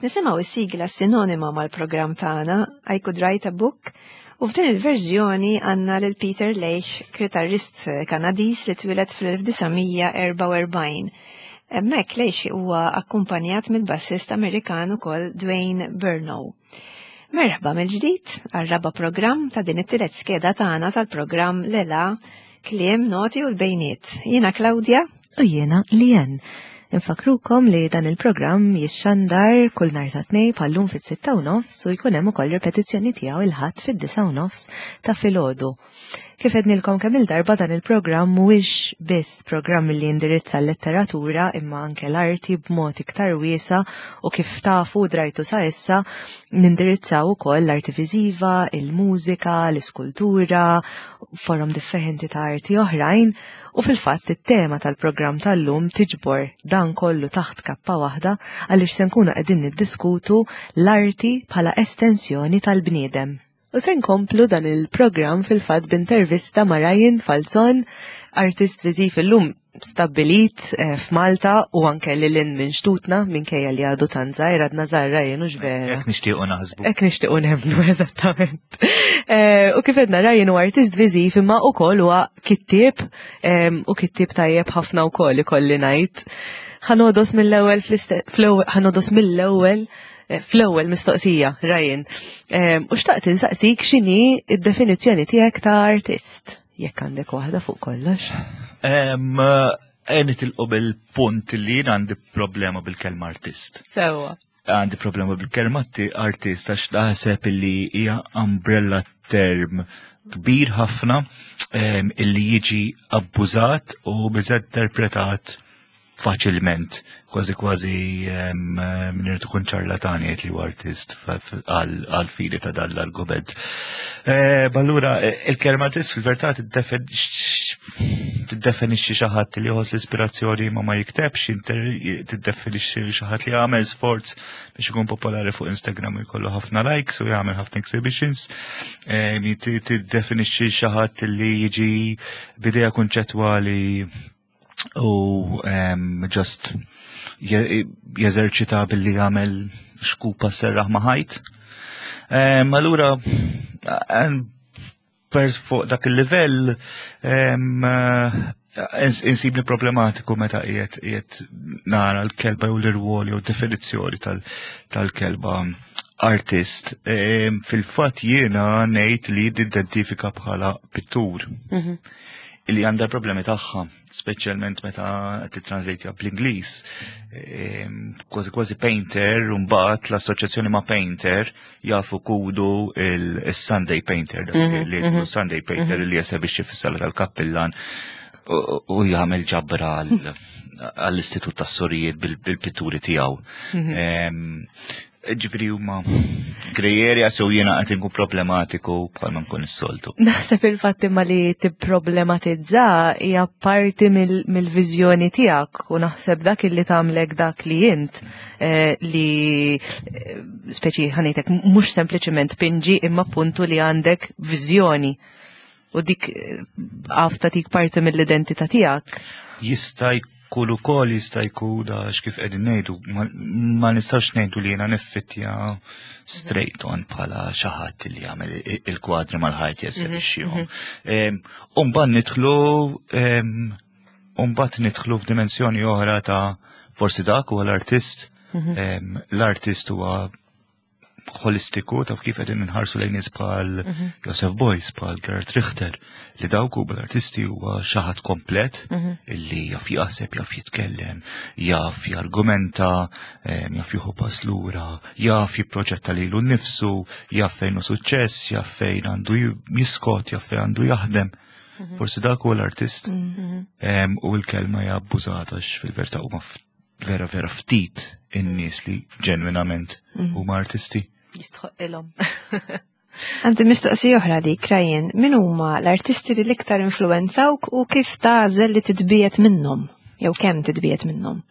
Nisimgħu s-sigla sinonima mal-programm tagħna I Could Write a Book u f'din il-verżjoni għandna lil Peter Leitch, kitarrist Kanadiż li twieled fl-1944. Hemmhekk Leitch huwa akkumpanjat mill-bassist Amerikan ukoll Dwayne Burnow. Merħba mill-ġdid għar-raba' programm ta' din it-tielet skeda tagħna tal-programm Lela Kliem, Noti u l-Bejniet. Jiena Claudia. U jiena Lien. Infakrukom li dan il-programm jixxandar kull nhar ta' tnej bħallum fis-sitta u nofs u jkun hemm ukoll ripetizzjoni tiegħu il-ħadd fid-disa u nofs ta' filgħodu. Kif għednilkom kemm il-darba dan il-programm mhuwiex biss programm li jindirizza l-letteratura imma anke l-arti b'mod iktar wiesa u kif tafu drajtu sa issa nindirizzaw ukoll l-arti viżiva, il-mużika, l-iskultura, forom differenti ta' arti oħrajn U fil-fatt it-tema tal-programm tal-lum tiġbor dan kollu taħt kappa waħda għaliex se nkunu qegħdin niddiskutu l-arti bħala estensjoni tal-bniedem. U se nkomplu dan il-programm fil-fatt b'intervista ma' Ryan Falzon, artist viżiv illum stabbilit eh, f'Malta u anke lil hinn minn xtutna minkejja li għadu tant żgħir għadna żgħar Ryan hux vera. Hekk nixtiequ naħsbu. Hekk nixtiequ nemmnu eżattament. Eh, u kif edna Ryan huwa artist viżiv imma ukoll huwa kittieb u kittieb tajjeb ħafna wkoll ikolli ngħid. Ħanodos mill-ewwel ħanodos mill-ewwel eh, fl-ewwel mistoqsija, Ryan. U xtaqt insaqsik x'inhi d-definizzjoni tiegħek ta' artist, jekk għandek waħda fuq kollox. Eh, nitilqu bil-punt li jien għandi problema bil-kelma artist. Sewwa. Għandi problema bil-kelma artist għax naħseb li hija umbrella term kbir ħafna illi jiġi abbużat u miżinterpretat faċilment, kważi kważi minn irid ikun ċarlatani jgħid li huwa artist għal fili ta' dan l-argument. Eh, allura eh, il-kelma artist fil-verità tiddefinixxi xi ħadd li jħoss l-ispirazzjoni ma ma jiktebx, tiddefinixxi xi ħadd li jagħmel sforz biex ikun popolari fuq Instagram u jkollu ħafna likes u jagħmel ħafna exhibitions, eh, tiddefinixxi xi ħadd li jiġi b'idea kunċettwali u just jeżerċita billi jagħmel xkupa serraħ ma' ħajt. Allura pers fuq dak il-livell insibni problematiku meta qiegħed qiegħed nara l-kelba jew l-irwol jew definizzjoni tal-kelba artist. Fil-fatt jiena ngħid li identifika bħala pittur. Mhm. Illi għandha problemi tagħha, speċjalment meta titranslate bl-Ingliż. Kważi kważi painter, u mbagħad l-assoċjazzjoni ma' painter jafu kudu il-Sunday Painter, mhm, li mhm. Sunday Painter mhm. li jesebixxi fis-sala tal-kappillan u jagħmel ġabra għall-Istitut tas-Sorijiet bil-pitturi tiegħu. Ġifiri huma grey area so jiena qed inkun problematiku bħalma nkun is-soltu. Naħseb il-fatt imma li tipproblematizza hija parti mill-viżjoni tiegħek u naħseb dak illi tagħmlek dak li int eh, li eh, speċi ħanejtek mhux sempliċement pinġi imma puntu li għandek viżjoni u dik eh, għaf tik parti mill-identità tiegħek. Jista' jkun ukoll jista' jkun għax kif qegħdin ngħidu ma nistax ngħidu li jiena niffittja straight on bħala xi ħadd li jagħmel il-kwadri mal-ħajt jesebixxihom. Mhm, mhm. U mbagħad nidħlu u mbagħad nidħlu f'dimensjoni oħra ta' forsi dak huwa l-artist. Mhm. L-artist huwa holistiku taf kif qegħdin nħarsu lejn nies bħal mhm. Joseph Beuys, bħal Gerhard Richter, li dawk huma l-artisti huwa xi ħadd komplet mhm. illi jaf jaħseb, jaf jitkellem, jaf jargumenta, jaf jieħu pass lura, jaf jipproġetta lilu nnifsu, jaf fejn hu suċċess, jaf fejn għandu jiskot, jaf fejn għandu jaħdem. Mhm. Forsi dak huwa l-artist u l-kelma hija abbużata fil-verità huma vera vera ftit in-nies li ġenwinament mm. huma artisti. Jistħoqilhom. Għandi mistoqsija oħra dik, Ryan, min huma l-artisti li l-iktar influenzawk u kif tagħżel li titbiet minnhom? Jew kemm titbiet minnhom?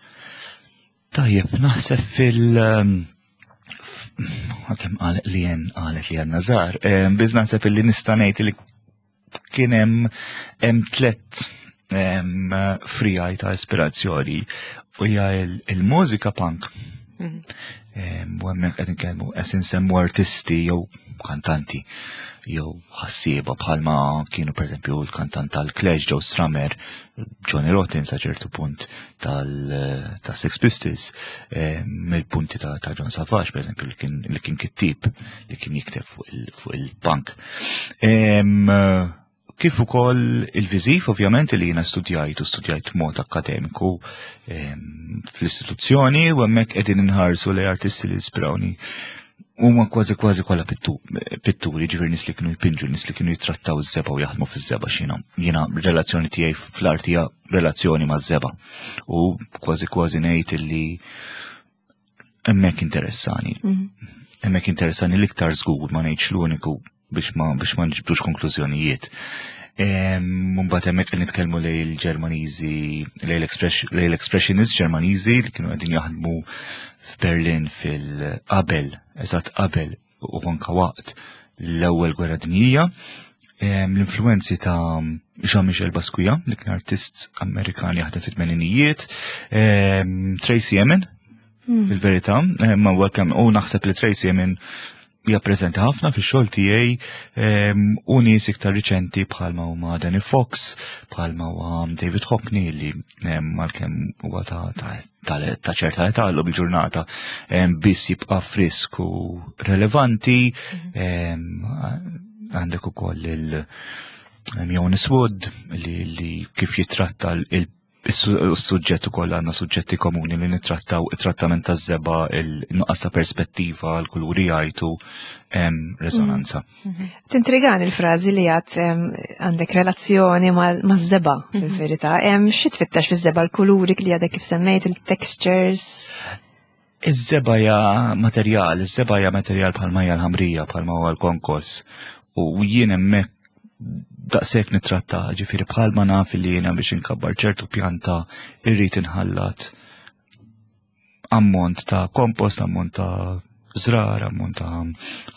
Tajjeb, naħseb fil- um, kemm qalet li jen qalet li għandna żgħar, eh, biż naħseb illi nista' ngħid li kien hemm hemm tlett frijaj ta' ispirazzjoni u hija il-mużika punk. U hemmhekk qed nitkellmu qed insemmu artisti jew kantanti jew ħassieba bħalma kienu pereżempju l-kantant tal-Clash Joe Strummer, Johnny Rotten sa ċertu punt tal-Sex Pistols, mill-punti ta' John Savage pereżempju li kien kittib li kien jikteb fuq il-punk. Kif ukoll il-viżiv ovvjament li jiena studjajt u studjajt mod akademiku fl-istituzzjoni u hemmhekk qegħdin inħarsu li artisti li ispirawni huma kważi kważi kollha pitturi, ġifieri nies li kienu jpinġu, nies li kienu jittrattaw iż-żebgħa u jaħdmu fiż-żebgħa x'jiena. Jiena relazzjoni tiegħi fl-arti hija relazzjoni maż-żebgħa. U kważi kważi ngħid illi hemmhekk interessani. Hemmhekk interessani l-iktar żgur ma ngħidx l-uniku biex ma biex ma nġibdux konklużjonijiet. Mbagħad hemmhekk qed nitkellmu lejn il-Ġermaniżi, lejn l-Expressionist Ġermaniżi li kienu qegħdin jaħdmu f'Berlin fil-qabel, eżatt qabel u anka waqt l-ewwel gwerra dinjija. L-influenzi ta' Jean-Michel Basquiat, li kien artist Amerikan jaħdem fit-tmeninijiet, Tracey Emin, fil-verità, ma welcome, u naħseb li Tracey Emin hija preżenti ħafna fix-xogħol tiegħi u nies iktar riċenti bħalma huma Danny Fox, bħalma huwa David Hockney li għalkemm huwa ta' ċerta età llum il-ġurnata biss jibqa' frisk u relevanti. Għandek ukoll il Jonas Wood li kif jitratta il Is-suġġett ukoll għandna suġġetti komuni li nittrattaw it-trattament taż-żebgħa, il-nuqqas ta' perspettiva, l-kuluri jgħajtu, hemm resonanza. Mm-hmm. Tintrigani l-frażi li għad għandek relazzjoni maż-żebgħa mhm. fil-verità. Hemm xi tfittex fiż-żebgħa l-kuluri li għadek kif semmejt, il-textures? Iż-żebgħa hija materjal, iż-żebgħa hija materjal bħalma hija l-ħamrija, bħalma huwa l-konkos. U jien hemmhekk daqshekk nittratta, ġifieri bħalma naf li jiena biex inkabbar ċertu pjanta irrid inħallat ammont ta' kompost, ammont ta' żrar, ammont ta'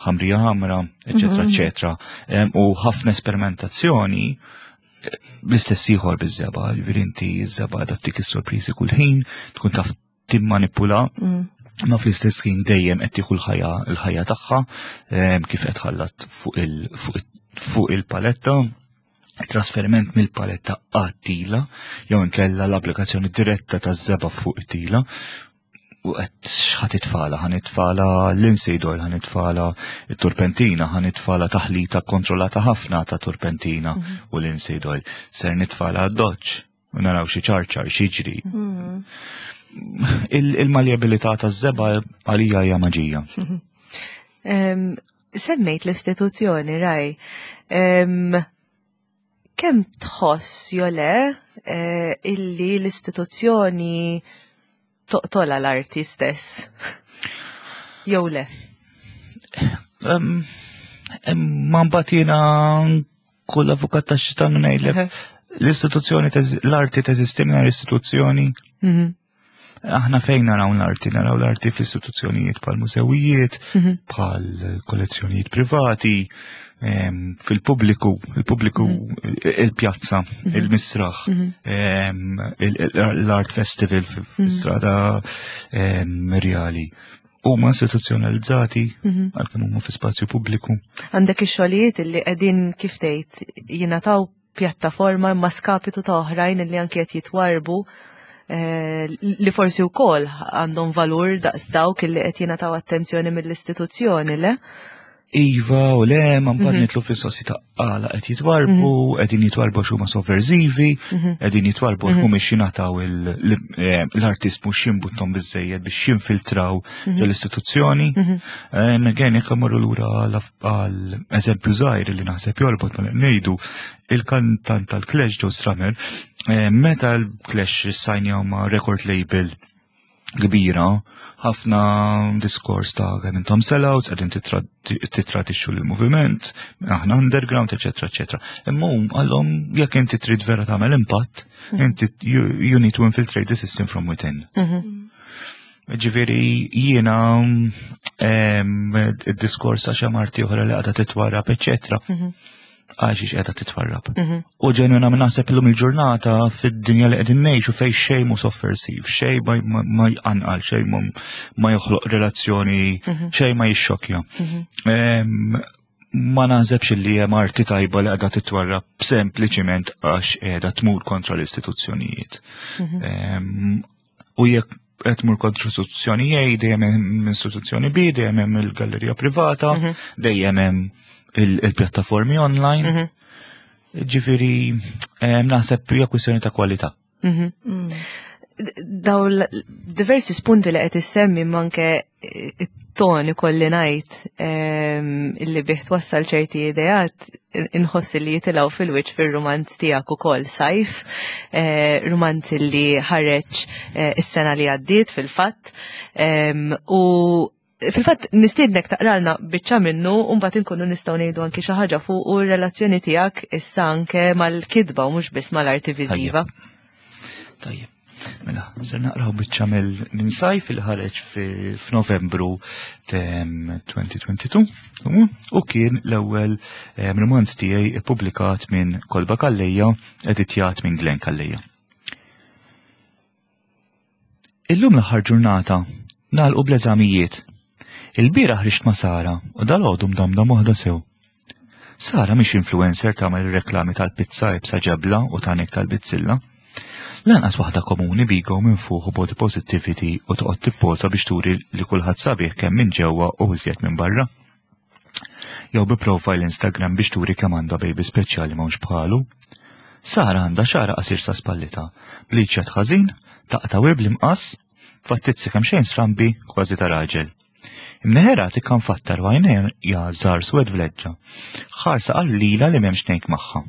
ħamrija ħamra, eċetera, mhm. eċetera. U ħafna esperimentazzjoni bl-istess ieħor biż-żebgħa, ġifieri inti ż-żebgħa dattik is-sorpriżi kull ħin, tkun taf timmanipula mm. ma fl-istess ħin dejjem qed tieħu l-ħajja l-ħajja tagħha kif qed ħallat fuq il-paletta trasferiment mill-paletta għat-tila jew inkella l-applikazzjoni diretta taż-żebgħa fuq it-tila u qed x'ħa titfala, ħa nitfala l-linseed oil, ħa nitfala t-turpentina, ħa nitfala taħlita kontrollata ħafna ta' turpentina mhm. u linseed oil. Ser nitfala d-doċ u naraw xi ċarċar xiġri. Mhm. Il-maljabilità taż-żebgħa għalija hija maġija. Semmejt l-istituzzjoni, raj. Kemm tħoss jew le eh, illi l-istituzzjoni toqtola l-arti stess? Jew le? Ma mbagħad jiena kull avukat ta' xitan ngħidlek l-istituzzjoni l-arti teżisti mingħajr istituzzjoni. Mhm. Aħna fejn naraw l-arti, naraw l-arti fl-istituzzjonijiet bħal mużewijiet, mhm. bħal kollezzjonijiet privati, fil-pubbliku, il-pubbliku mhm. il-pjazza, mhm. il-misraħ, l-art festival fil-strada reali. Huma istituzzjonalizzati għalkemm huma fi spazju pubbliku. Għandek ix-xogħlijiet li qegħdin kif tgħid jingħataw pjattaforma imma skapitu ta' oħrajn li anki qed jitwarbu eh, li forsi wkoll għandhom valur daqs dawk li qed jingħataw attenzjoni mill-istituzzjoni, le? Iva u le, ma mbagħad mhm. nitlu fis-sossi ta' għala qed jitwarbu, mhm. qegħdin jitwarbu x'huma sovverżivi, mhm. qegħdin jitwarbu mhumiex jingħataw eh, l-artist mhux jimbuttom biżejjed biex jinfiltraw l-istituzzjoni. Again, jekk imorru lura għal eżempju żgħir li naħseb jorbot ma ngħidu il-kantant tal-Clash Joe Strummer, eh, meta l-Clash sajnjaw ma' record label kbira, ħafna diskors ta' kemm intom sellouts, qegħdin titradixxu l-moviment, aħna underground, eċetera, eċetera. Imma hum għallhom jekk inti trid vera tagħmel impatt, mm. inti you need to infiltrate the system from within. Mm-hmm. Ġifieri jiena id-diskors ta' xi marti oħra li għadha titwarrab, eċetera. Mhm. Għax qiegħda titwarrab. U ġenwinament naħseb illum il-ġurnata fid-dinja li qegħdin ngħixu fejn xejn mhu soffersiv, xejn ma jqanqal, xejn ma joħloq relazzjoni, xejn ma jixxokja. Ma naħsebx li hemm arti tajba li qiegħda titwarrab sempliċiment għax qiegħda tmur kontra l-istituzzjonijiet. U jekk qed tmur kontra istituzzjoni A, dejjem hemm istituzzjoni B, dejjem hemm il-gallerija privata, dejjem hemm il-pjattaformi online. Ġifieri naħseb hija kwistjoni ta' kwalità. Daw diversi spunti li qed issemmi manke it-ton ikolli ngħid illi bih twassal ċerti ideat inħoss li jitilgħu fil-wiċċ fir-rumanz tiegħek ukoll Sajf, rumanz li ħareġ is-sena li għaddiet fil-fatt. U fil-fatt nistiednek taqralna biċċa minnu u mbagħad inkunu nistgħu ngħidu anki xi ħaġa fuq u r-relazzjoni tiegħek issa anke mal-kitba u mhux biss mal-arti viżiva. Tajjeb. Mela, ser naqraw biċċa minn Sajf il ħareġ f'Novembru 2022 u kien l-ewwel romanz tiegħi ippubblikat minn Kolba Calleja, editjat minn Glenn Calleja. Illum l-aħħar ġurnata, nagħlqu bl-eżamijiet. Il-bieraħ rixt ma' Sara u dalgħodu mdamdam waħda sew. Sara mhix influencer tagħmel reklami tal-pizza ibsa ġebla u tanek tal-bizzilla. Lanqas waħda komuni bigo minn fuq u body positivity u toqgħod tipposa biex turi li kulħadd sabiħ kemm minn ġewwa u iżjed minn barra. Jew bi profile Instagram biex turi kemm għandha baby speċjali m'hawnx bħalu. Sara għandha xara qasir sa spallita, bliċċat ħażin, taqta' bl-imqas, fattizzi kemm xejn strambi kważi ta' raġel. Imneħera tikkan fattar u għajnejha żgħar swed vleġġa. Ħarsa qallila li m'hemmx ngħid magħha.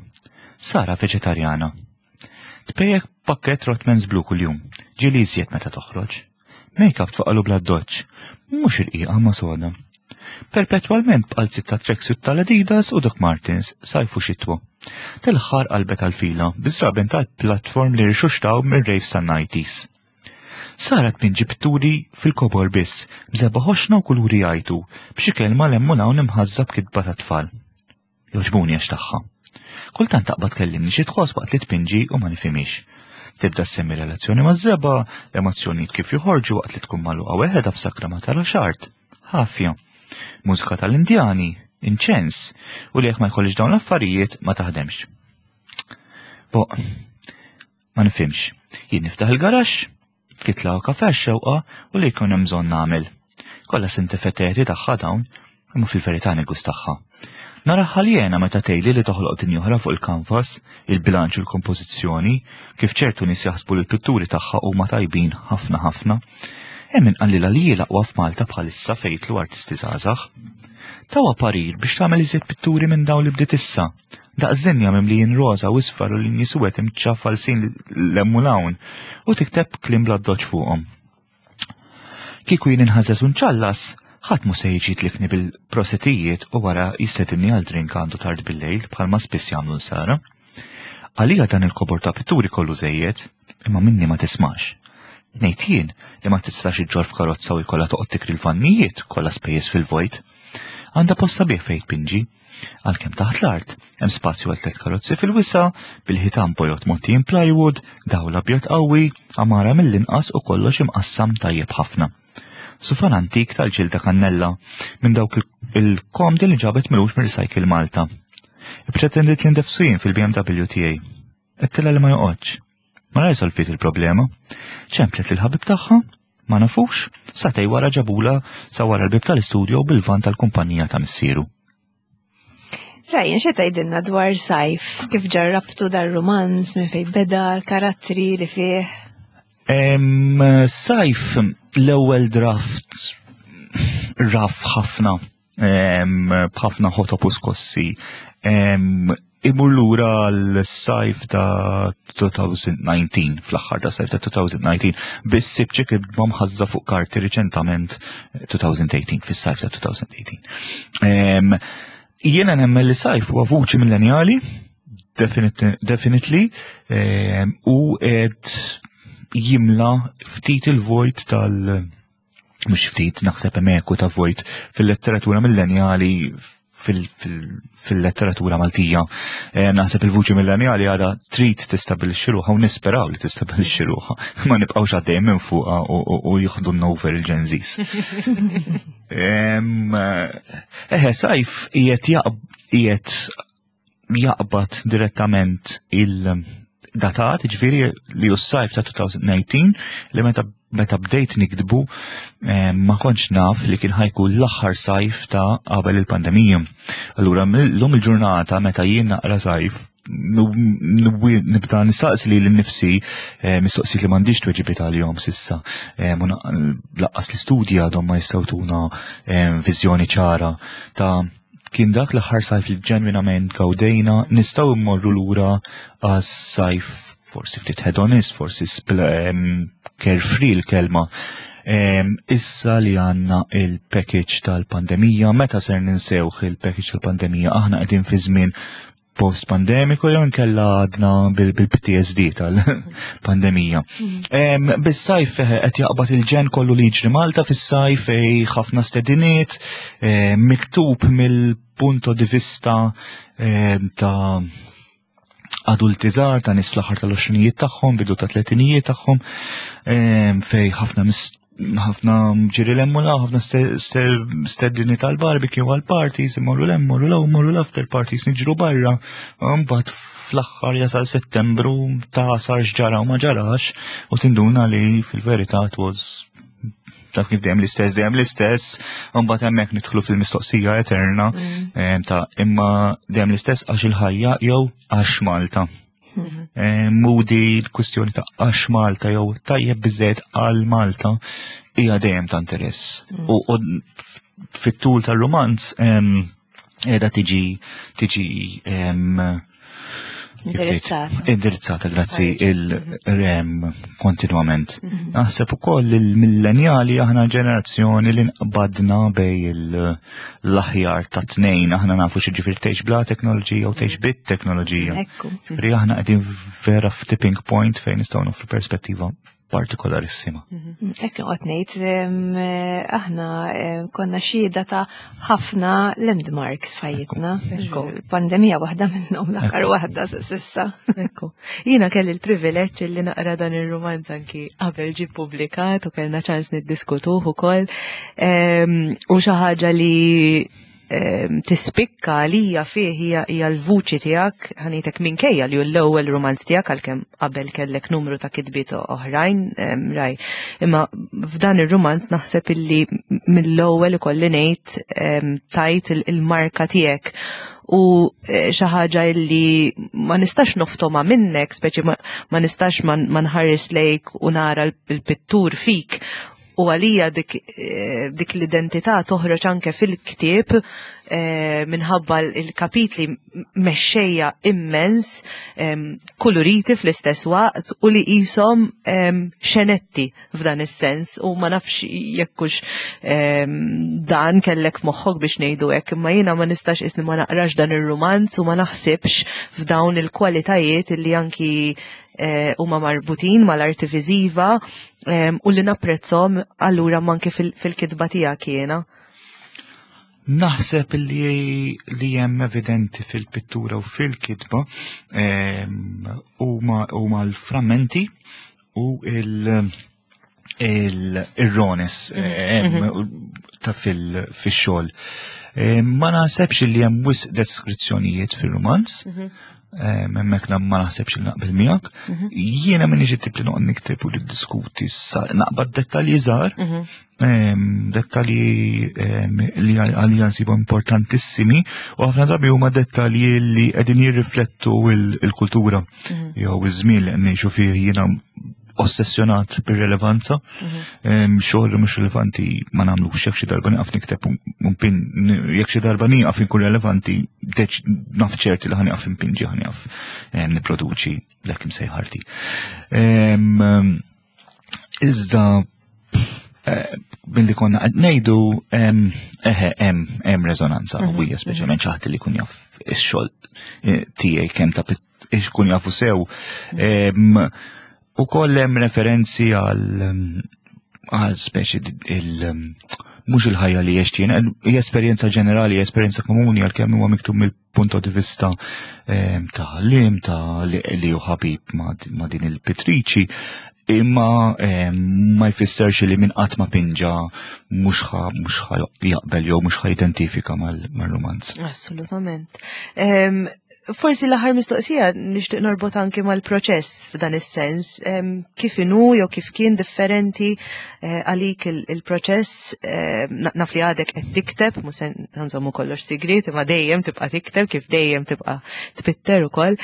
Sara veġetarjana. Tpejjek pakket Rotmans Blue kuljum, ġieli iżjed meta toħroġ. Make-up tfaqalu bla doċ, mhux irqiqa ma soda. Perpetwalment b'qalzit ta' tracksuit tal-Adidas u Doc Martens, sajfu xitwa. Tal-aħħar qalbet għal-fila, biżraben tal-platform li rixuxtaw mir-raves tan-90s. Sara tpinġi pitturi fil-kobor biss, b'żebgħa ħoxna u kuluri jgħajtu, b'xi kelma 'l hemm u 'l hawn imħażża b'kitba tat-tfal. Jogħġbuni għax tagħha. Kultant taqbad tkellimni xi tħoss waqt li tpinġi u ma nifhimhiex. Tibda ssemmi relazzjoni maż-żebgħa, l-emozzjonijiet kif joħorġu waqt li tkun magħluqa weħedha f'sakra ma tarax art. Ħafja. Mużika tal-Indjani, inċens, u li jekk ma jkollix dawn l-affarijiet ma taħdemx. Bo, ma nifhimx. Jien niftaħ il-garaxx, kitla u kafe xewqa u li jkun hemm bżonn nagħmel. Kollha sintifeteti tagħha dawn, imma fil-verità nigus tagħha. Naraha ħaljena meta tgħidli li toħloq dinja oħra fuq il-kanvas, il-bilanċ u l-kompożizzjoni, kif ċertu nies jaħsbu li l-pitturi tagħha huma tajbin ħafna ħafna. Hemm inqallilha li hi l-aqwa f'Malta bħalissa fejn jidħlu artisti żgħażagħ. Tawha parir biex tagħmel iżjed pitturi minn dawn li bdiet issa. Daqs dinja mimlijin roża u isfar u linji suwed imċafalsin 'l hemm u 'l hawn u tikteb kliem bla doċ fuqhom. Kieku jien inħażeż u nċallas, ħadd mhu se jiġi jitlikni bil-prosetijiet u wara jistedinni għal drink għandu tard bil-lejl bħalma spiss jagħmlu nsara. Għalija dan il-kobor ta' pitturi kollu żejjed, imma minni ma tismax. Ngħid jien li ma tistax iġġor f'karozza u jkollha toqgħod tikri l-vannijiet kollha spejjeż fil-vojt. Għandha post sabiħ fejn tpinġi. Għalkemm taħt l-art, hemm spazju għal tliet karozzi fil-wisa, bil-ħitan bojod mgħottijin plywood, dawl abjad qawwi, għamara mill-inqas u kollox imqassam tajjeb ħafna. Sufan antik tal-ġilda kannella, minn dawk il-komdi li ġabet milux minn Recycle Malta. Ippretendiet li ndefsu jien fil-BMW tiegħi. Għedtilha li ma joqgħodx. Malajr solviet il-problema. Ċemplet lil ħabib tagħha, ma nafux, satej wara ġabula sa wara l-bib tal-istudio bil-van tal-kumpanija ta' missieru. Ryan, xe tgħidilna dwar Sajf? Kif ġarrabtu dar-romanz, minn fejn beda, l-karattri li fih? Sajf, l-ewwel draft raf ħafna, b'ħafna ħotop u skossi. Imur lura l-sajf ta' 2019, fl-aħħar ta' sajf ta' 2019, biss sibċi kif mħazza fuq karti riċentament 2018, fis-sajf ta' 2018. Jiena nemmen li Sajf huwa vuċi millenjali, definitely, u qed jimla ftit il-vojt tal- mhux ftit, naħseb hemm eku ta' vojt fil-letteratura millenjali. fil-letteratura Maltija. Eh, naħseb il-vuċi millenjali għadha trid tistabilixxi ruħha u nisperaw li tistabilixxi ruħha. Ma nibqgħux għaddejjem minn fuqha u jieħdu over il-Gen Zs. Eħe, sajf qiegħed qiegħed jaqbad direttament il-datat, ġifieri li hu s-sajf ta' 2019 li meta meta bdejt nikdbu eh, ma kontx naf li kien ħajkun l-aħħar sajf ta' qabel il-pandemija. Allura l-lum il-ġurnata meta jien naqra sajf nibda nistaqsi li l-nifsi eh, mistoqsijiet li m'għandix tweġibiet għalihom sissa. Eh, laqqas l-istudji għadhom ma jistgħu tuna viżjoni ċara ta' kien dak l-aħħar sajf li ġenwinament gawdejna, nistgħu mmorru lura għas-sajf forsi ftit hedonist, forsi carefree l-kelma. Issa li għanna il-package tal-pandemija, meta ser ninsewħ il-package tal-pandemija, aħna qegħdin fi żmien post-pandemiku jew nkella għadna bil-PTSD tal-pandemija. Mm. Bis-sajf eh, qed jaqbad il-ġen kollu li jiġri Malta fis-sajf eh, ħafna stediniet eh, miktub mill-punto di vista ta' adulti żgħar ta' nies fl-aħħar tal-20 tagħhom, bidu ta' tletinijiet tagħhom, fej ħafna ħafna ġiri l-emmu la, ħafna stedini tal-barbecue għal-parties, imorru l-emmu, l morru l-after parties, niġru barra, mbagħad fl-aħħar jasal settembru ta' sar x'ġara u ma ġarax, u tinduna li fil-verità it was taf kif dejjem l-istess, dejjem l-istess, mbagħad hemmhekk nidħlu fil-mistoqsija eterna mm. eh, ta' imma dejjem l-istess għax il-ħajja jew għax Malta. Mhm. Eh, Moody l-kwistjoni ta' għax Malta jew tajjeb biżejjed għal Malta hija dejjem ta' interess. Mm. U fit-tul tar-romanz qiegħda tiġi tiġi Indirizzata. Indirizzata, grazzi il-rem kontinwament. Mhm. Naħseb ukoll il-millenjali aħna ġenerazzjoni li nqbadna bej l-aħjar ta' tnejn, aħna nafu xi ġifier tgħix bla teknoloġija u tgħix bit teknoloġija. Ġifieri aħna qegħdin vera f'tipping point fejn nistgħu nofru perspettiva partikolarissima. Mhm. Ekk noqgħod ngħid aħna konna xhieda ta' ħafna landmarks f'ħajjitna. Pandemija waħda minnhom l-aħħar waħda s'issa. Ekku. Jiena kelli l-privileġġ li naqra dan ir-rumanz anki qabel ġie ppubblikat u kellna ċans niddiskutuh ukoll. U xi ħaġa li tispikka għalija fih hija hija l-vuċi tiegħek ħanitek minkejja li hu l-ewwel rumanz tiegħek għalkemm qabel kellek numru ta' kitbiet oħrajn raj. Imma f'dan ir-rumanz naħseb illi mill-ewwel ikolli ngħid tajt il-marka tiegħek u eh, xi ħaġa illi ma nistax noftoma minnek, speċi ma nistax ma nħares lejk u nara l-pittur fik U għalija dik, eh, dik l-identità toħroġ anke fil-ktieb eh, minħabba l-kapitli mexxejja immens, kuluriti fl-istess waqt u li qishom xenetti f'dan is-sens u ma nafx jekkux dan kellek f'moħħok biex ngħidu hekk, imma jiena ma nistax isni ma naqrax dan ir-rumanz u ma naħsibx f'dawn il-kwalitajiet li anki Eh, huma marbutin mal-arti viżiva u li napprezzhom allura manki fil-kitba tiegħek jiena. Naħseb li li hemm evidenti fil-pittura u fil-kitba huma l-frammenti u il- il-rones mhm. eh, mhm. ta' fil-xol. Eh, ma naħsebx li hemm wisq deskrizzjonijiet fil-romanz, mhm. eh, hemmhekk ma naħsebx li naqbel miegħek. Jiena minni tip li noqgħod nikteb u niddiskuti naqbad dettalji żgħar, dettalji li għalija nsibu importantissimi u ħafna drabi huma dettalji li qegħdin jirriflettu il-kultura jew iż-żmien li qed ngħixu fih jiena ossessjonat bir-relevanza, mhm. xogħol li mhux relevanti ma nagħmlux jekk xi darba nieqaf nikteb pin jekk xi darba nieqaf inkun relevanti naf ċerti li ħanieqaf impinġi ħanieqaf nipproduċi l-hekk imsejħarti. Iżda eh, billi konna qed ngħidu eħe hemm hemm reżonanza mhm. qawwija speċjalment xi ħadd li jkun jaf ix-xogħol eh, tiegħi kemm ta' ikun jafu sew. U koll hemm referenzi għal għal speċi il mhux il-ħajja li għext jien, hija esperjenza ġenerali, hija esperjenza komuni għalkemm huwa miktub mill-punto di vista ta' għalliem, ta' li hu ħabib ma' din il-pittriċi, imma ma jfisserx li min qatt ma pinġa mhux ħa jaqbel jew mhux ħa jidentifika mal-rumanz. Assolutament. Forsi l-aħħar mistoqsija nixtieq norbot anki mal-proċess f'dan is-sens, kif inhu jew kif kien differenti għalik il-proċess, naf li għadek qed tikteb, mhux se nżommu kollox sigriet, imma dejjem tibqa' tikteb kif dejjem tibqa' tpitter ukoll.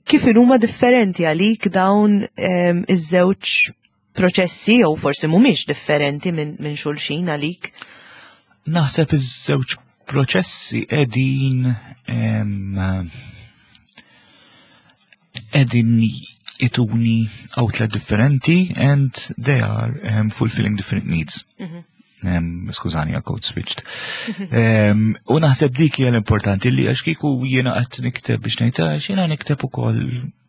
Kif inhuma differenti għalik dawn iż-żewġ proċessi jew forsi mhumiex differenti minn xulxin għalik? Naħseb iż-żewġ proċessi qegħdin ituni outlet differenti and they are fulfilling different needs. Skużani, għal code switched. U naħseb dik hija l-importanti li għax kieku jiena qed nikteb biex ngħid għax jiena nikteb ukoll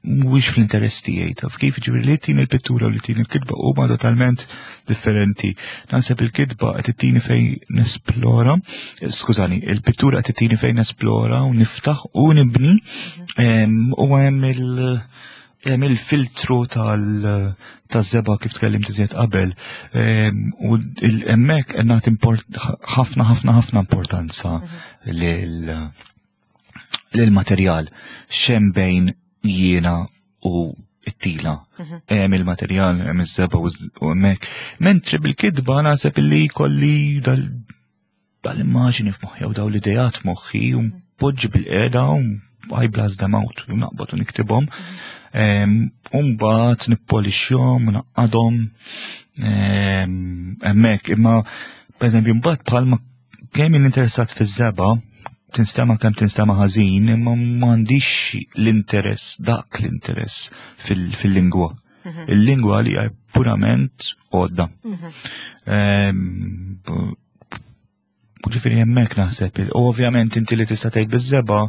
mhuwiex fl-interess tiegħi, taf kif, ġifieri li tini l-pittura u li tini l-kitba huma totalment differenti. Naħseb il-kitba qed ittini fejn nesplora, skużani, il-pittura qed ittini fejn nesplora u niftaħ u nibni, u hemm il-filtru taż-żebgħa kif tkellimt iżjed qabel, u hemmhekk qed nagħti ħafna, ħafna, ħafna importanza lil materjal xem bejn jiena u it-tila. Hemm il-materjal, hemm iż-żebgħa u hemmhekk. Mentri bil-kitba naħseb illi kolli dal-immaġini f'moħħi u daw l-idejat f'moħħi u npoġġi bil-qiegħda u I blast them out, u naqbad u niktibhom. U mbagħad nippolixxhom u naqadhom hemmhekk. Imma pereżempju mbagħad bħalma kemm jien interessat fiż-żebgħa, tinstema kemm tinstema ħażin, imma m'għandix l-interess, dak l-interess fil-lingwa. Il-lingwa li hija purament għodda. Ġifieri hemmhekk naħseb, u ovvjament inti li tista' tgħid biż-żebgħa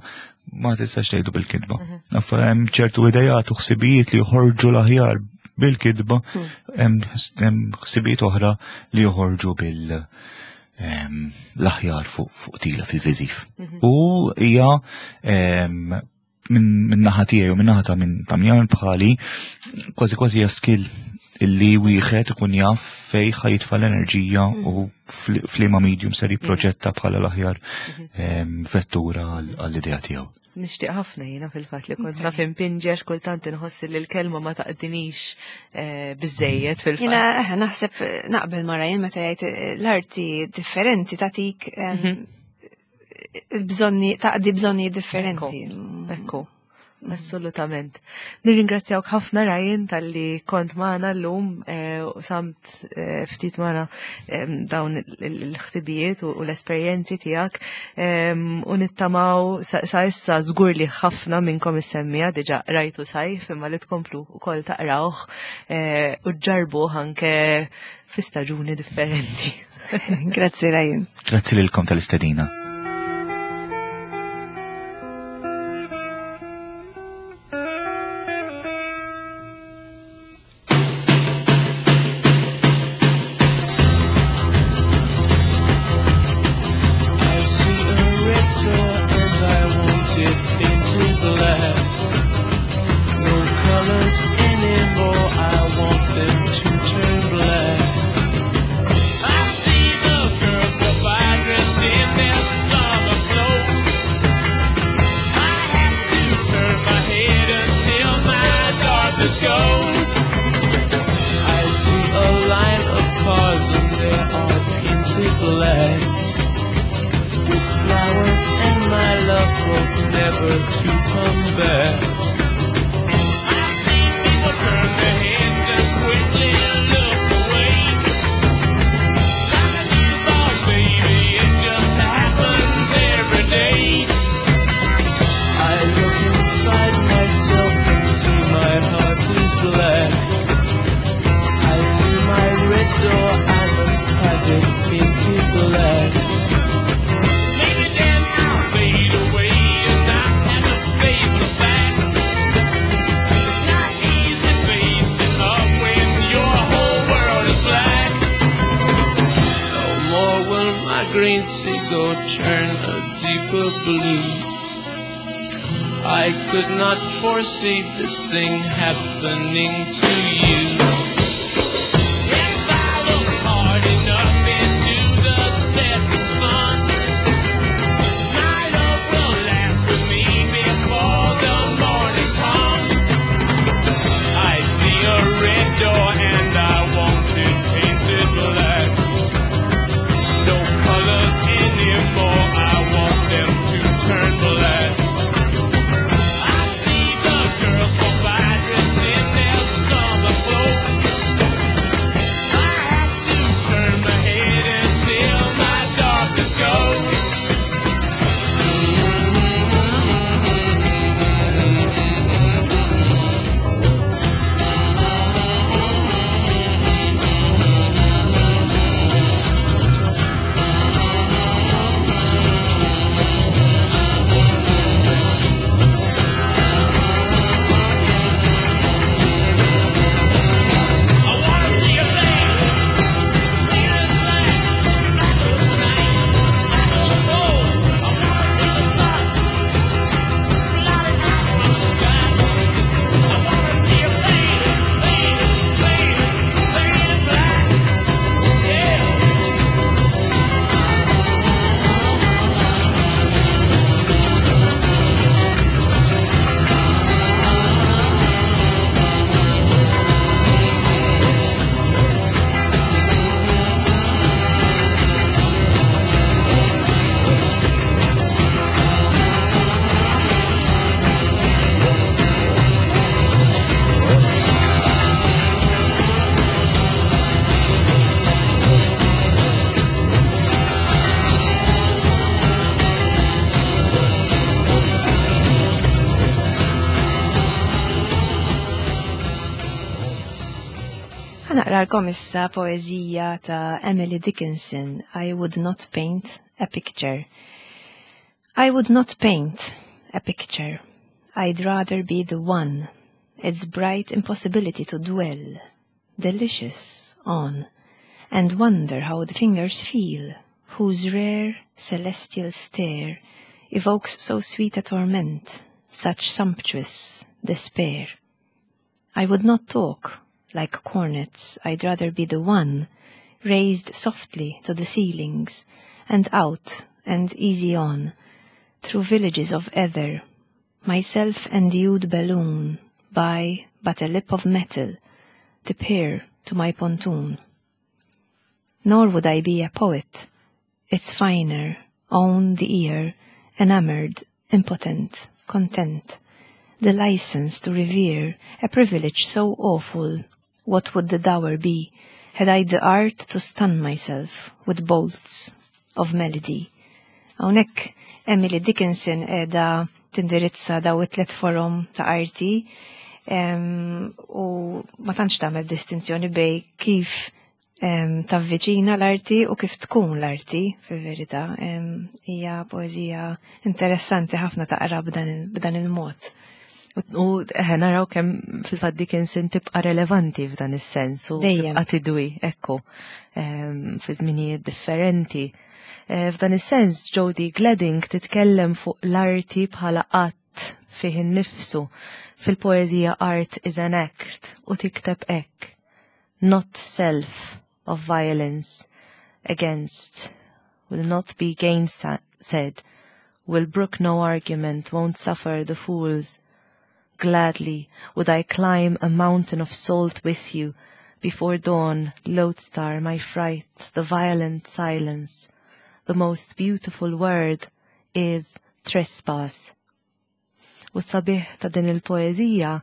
ma tistax tgħidu bil-kitba. Naf hemm ċertu idejat u ħsibijiet li joħorġu l-aħjar bil-kitba, hemm ħsibijiet oħra li joħorġu bil l-aħjar fuq tila fil-viżiv. U hija minn naħa tiegħi u minn naħa ta' minn ta' min bħali kważi kważi hija skill illi wieħed ikun jaf fej ħa jitfa' l-enerġija u f'liema medium ser jipproġetta bħala l-aħjar vettura għall-idea tiegħu. Nixtieq ħafna jiena fil-fatt li kont naf impinġi għax kultant inħoss li l-kelma ma taqdinix biżejjed fil-fatt. Jiena naħseb naqbel ma' Ryan meta jgħid l-arti differenti tatik bżonni, taqdi bżonni differenti. Ekku, assolutament. Nirringrazzjawk ħafna Ryan talli kont magħna llum u samt ftit magħna dawn il-ħsibijiet u l-esperjenzi tiegħek u nittamaw sa issa żgur li ħafna minnkom issemmija diġà rajtu Sajf imma li tkomplu wkoll taqrawh u ġarbuh anke fi staġuni differenti. Grazzi Ryan. Grazzi lilkom tal-istedina. I see a red door and I want it painted black. No colors anymore, I want them to turn black. I see the girls go by dressed in their summer clothes. I have to turn my head until my darkness goes. I see a line of cars and they are painted black. With flowers and my love hope never to come back. I see people turn their heads and quickly look away. Like a newborn baby, it just happens every day. I look inside myself and see my heart is black. I see my red door, I must have it painted black. Maybe then I'll fade away and not have to face the facts. It's not easy. seagull turn a deeper blue. I could not foresee this thing happening to you. If I look hard enough into the setting sun, my love will laugh at me before the morning comes. I see a red door and I want it painted black. No colors anymore, I want them to turn black. I see the girls walk by dressed in their summer clothes. I have to turn my head until my darkness goes. I wanna see your face, painted black, black as night, black as coal. I wanna see the sun blotted out from the sky. I wanna see your painted, painted, painted, painted black. Yeah. Ħanaqralkom issa poeżija ta' Emily Dickinson, I Would Not Paint a Picture. I would not paint a picture. I'd rather be the one. Its bright impossibility to dwell, delicious on, and wonder how the fingers feel, whose rare celestial stare evokes so sweet a torment, such sumptuous despair. I would not talk like cornets, I'd rather be the one raised softly to the ceilings, and out and easy on, through villages of ether, myself endued balloon by but a lip of metal, to peer to my pontoon. Nor would I be a poet, it's finer, own the ear, enamored, impotent, content, the license to revere, a privilege so awful, what would the dower be, had I the art to stun myself with bolts of melody? Hawnhekk Emily Dickinson qiegħda tindirizza daw it-tlet forom ta' arti u ma tantx tagħmel distinzjoni bejn kif tavviċina l-arti u kif tkun l-arti fil-verità. Hija poeżija interessanti ħafna taqra b'dan il-mod. U eħe naraw kemm fil-fatt Dickinson tibqa' relevanti f'dan is-sens u Dejjem. tibqa' tidwi, ekku, fi żminijiet differenti. F'dan is-sens Jody Gladding titkellem fuq l-arti bħala att fih innifsu fil-poeżija Art is an Act u tikteb hekk: Not self of violence against will not be gainsaid, will brook no argument, won't suffer the fools. Gladly would I climb a mountain of salt with you before dawn, lodestar, my fright, the violent silence. The most beautiful word is trespass. U sabiħ ta' din il-poeżija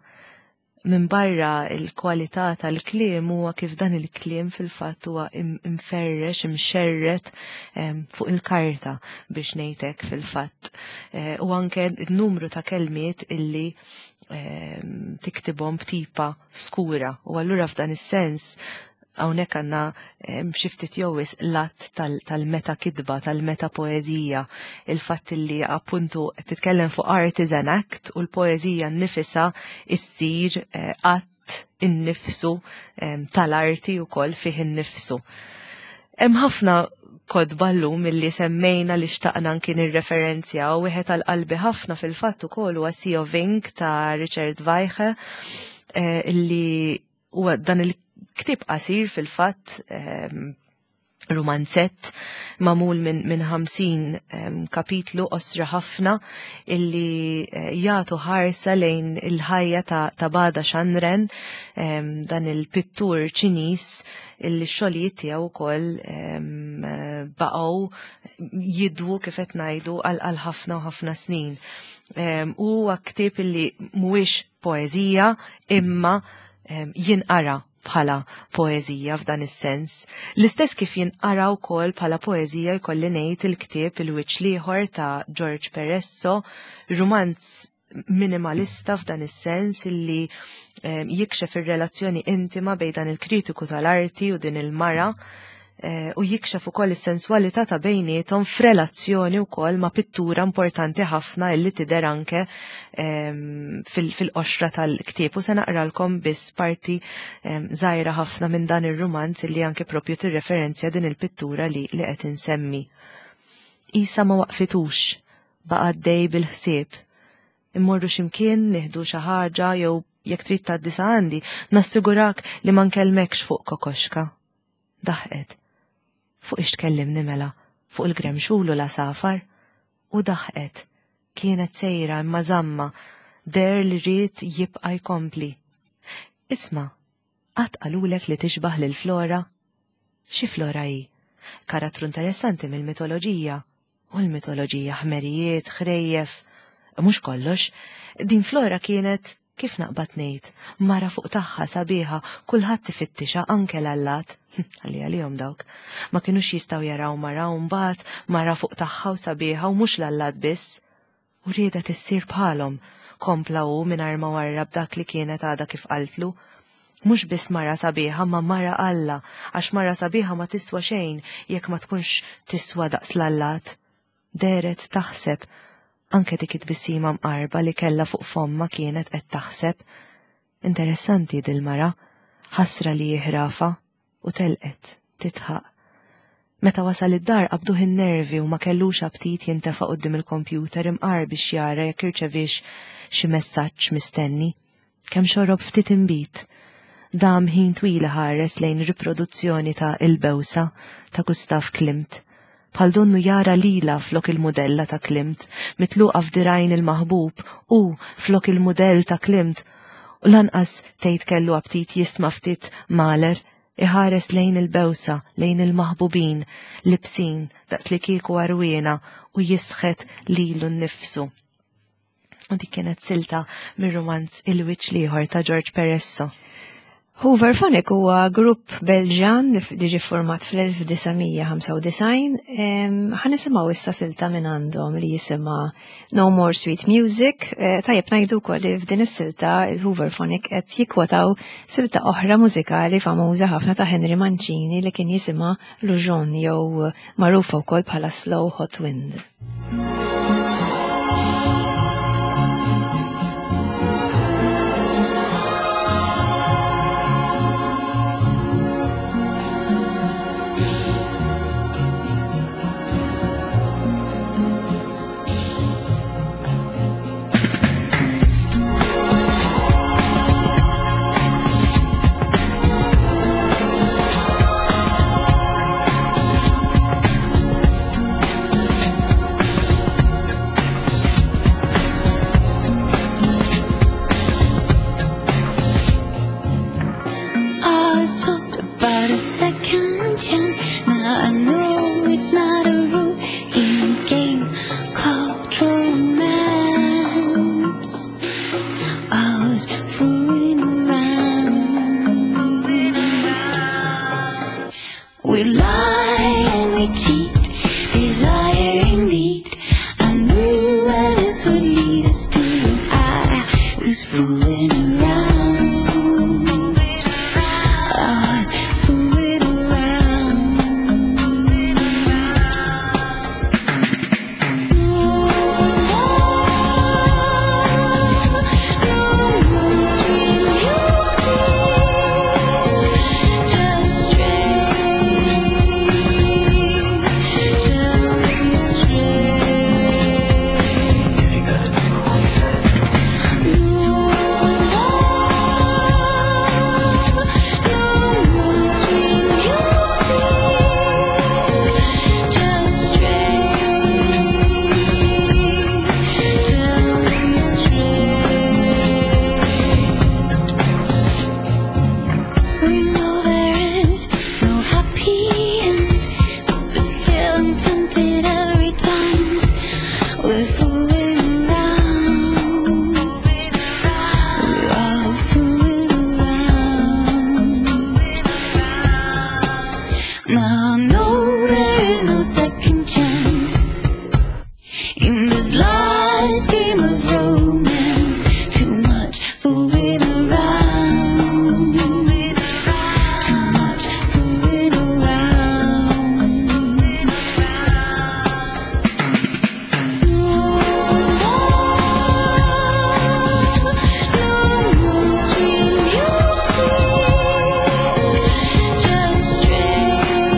minn barra il-kwalità tal-kliem huwa kif dan il-kliem fil-fatt huwa imferrex, imxerret fuq il-karta biex ngħidlek fil-fatt. U anke n-numru ta' kelmiet illi tiktibhom b'tipa skura. U allura f'dan is-sens hawnhekk għandna xi ftit jew wisq l-att tal-meta kitba, tal-meta poeżija, il-fatt li appuntu qed titkellem fuq art is an act u l-poeżija nnifisha issir att innifsu tal-arti wkoll fih innifsu. Hemm ħafna kotba llum illi semmejna li xtaqna anki nirreferenzja u wieħed għal qalbi ħafna fil-fatt ukoll huwa Sea of Ink ta' Richard Weiche eh, illi huwa dan il-ktieb qasir fil-fatt ehm, rumanzett mamul minn min 50 um, kapitlu osra ħafna illi eh, jagħtu ħarsa lejn il-ħajja ta', ta Bada Xanren um, dan il-pittur Ċiniż illi x-xogħlijiet tiegħu wkoll um, baqgħu jidwu kif qed ngħidu għal ħafna u ħafna snin. Huwa ktieb illi mhuwiex poeżija imma jinqara bħala poeżija f'dan is-sens. L-istess kif jinqara wkoll bħala poeżija jkolli ngħid il-ktieb Il-Wiċċ l-Ieħor ta' George Peresso, rumanz minimalista f'dan is-sens illi jikxef ir-relazzjoni intima bejn dan il-kritiku tal-arti u din il-mara Eh, u jikxef ukoll is-senswalità ta' bejniethom f'relazzjoni wkoll ma' pittura importanti ħafna illi tidher anke ehm, fil-qoxra tal-ktieb. U se naqralkom biss parti ehm, żgħira ħafna minn dan ir-rumanz illi anke propju tirreferenzja din il-pittura li li qed insemmi. Isa ma waqfitux, baqa' għaddej bil-ħsieb. Immorru x'imkien, nieħdu xi ħaġa jew jekk trid tgħaddi sa għandi, nassigurak li ma nkellmekx fuq kokoxka. Daħqet. Fuq ix tkellimni mela? Fuq il-gremxul u l-għasafar? U daħqet. Kienet sejra imma żammha. Deher li ried jibqa' jkompli. Isma', qatt qalulek li tixbah lil Flora? Xi Flora hi? Karattru interessanti mill-mitoloġija. U l-mitoloġija ħmerijiet, ħrejjef. Mhux kollox. Din Flora kienet, kif naqbad ngħid, mara fuq tagħha sabiħa, kulħadd ifittixha anke l-allat. Ħalli għalihom dawk. Ma kinux jistgħu jaraw mara u mbagħad mara fuq tagħha u sabiħa u mhux l-allat biss. U riedet issir bħalhom, kompla hu mingħajr ma warrab dak li kienet għadha kif qaltlu. Mhux biss mara sabiħa ma mara Alla, għax mara sabiħa ma tiswa xejn jekk ma tkunx tiswa daqs l-allat. Dehret taħseb, anke dik it-tbissima mqarba li kellha fuq fommha kienet qed taħseb. Interessanti dil-mara, ħasra li hi ħrafa. U telqet, tidħaq. Meta wasal id-dar qabduh in-nervi u ma kellux aptit jintefa' quddiem il-kompjuter imqar biex jara jekk irċeviex xi messaġġ mistenni. Kemm xorob ftit inbid. Dam ħin twil iħares lejn riproduzzjoni ta' Il-Bewsa ta' Gustav Klimt. Bħal donnu jara lilha flok il-mudella ta' Klimt, mitluqa f'dirgħajn il-maħbub, hu flok il-mudell ta' Klimt. U lanqas tgħid kellu aptit jisma' ftit Mahler, iħares lejn il-bewsa, lejn il-maħbubin, libsin daqslikieku għarwiena u jisħet lilu nnifsu. U dik kienet silta mir-rumanz Il-Wiċċ l-Ieħor ta' George Peresso. Hooverphonic huwa grupp Belġan li ġie format fl-1995. Ħa nisimgħu issa silta minn għandhom li jisimha No More Sweet Music. Eh, tajjeb ngħidu wkoll li f'din is-silta il-Hooverphonic qed jikkwotaw silta oħra mużikali famuża ħafna ta' Henry Mancini li kien jisimha Lujon jew magħrufa wkoll bħala Slow Hot Wind. fooling around. We are fooling around. Now I know there is no second chance in this last game of romance. Too much fooling around. Too much fooling around. No more, no more sweet music. Just stray till